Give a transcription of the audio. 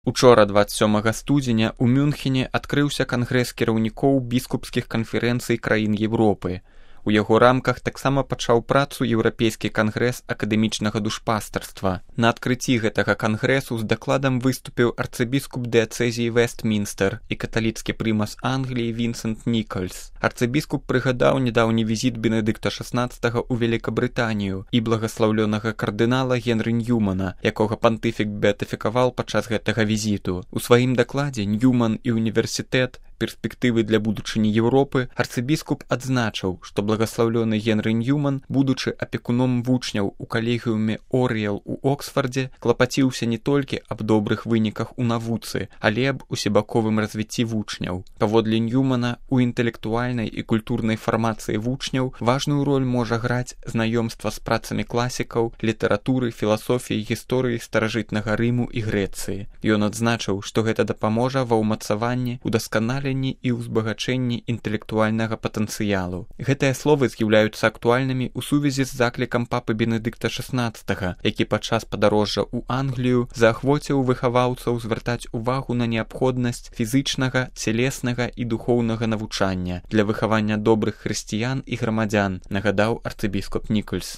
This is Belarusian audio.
Учора, 27 студзеня, у Мюнхене адкрыўся кангрэс кіраўнікоў біскупскіх канферэнцый краін Европы. У яго рамках таксама пачаў працу еўрапейскі кангрэс акадэмічнага душпастарства. На адкрыцці гэтага кангрэсу з дакладам выступіў арцыбіскуп дыяцэзіі Вестмінстер і каталіцкі прымас Англіі Вінсент Нікальс. Арцыбіскуп прыгадаў нядаўні візіт Бенедыкта XVI ў Великабрытанію і благаслаўлёнага кардынала Генры Ньюмана, якога пантыфік беатыфікаваў падчас гэтага візіту. У сваім дакладзе «Ньюман і універсітэт. Перспектывы для будучыні Европы» арцыбіскуп адзначыў, што благаслаўлёны Генры Ньюман, будучы апекуном вучняў у калегіуме Орыел у Оксфардзе, клапаціўся не толькі аб добрых выніках у навуцы, але аб усебаковым развіцці вучняў. Паводле Ньюмана, у інтэлектуальнай і культурнай фармацыі вучняў важную роль можа граць знаёмства з працамі класікаў, літаратуры, філасофіі, гісторыі старажытнага Рыму і Грэцыі. Ён адзначыў, што гэта дапаможа ва ўмацаванні, удасканаленні і ўзбагачэнні інтэлектуальнага патэнцыялу. Гэтыя словы з'яўляюцца актуальнымі ў сувязі з заклікам папы Бенедыкта XVI, які падчас падарожжа ў Англію заахвоціў выхаваўцаў звяртаць увагу на неабходнасць фізычнага, целеснага і духоўнага навучання для выхавання добрых хрысціян і грамадзян, нагадаў арцыбіскуп Нікальс.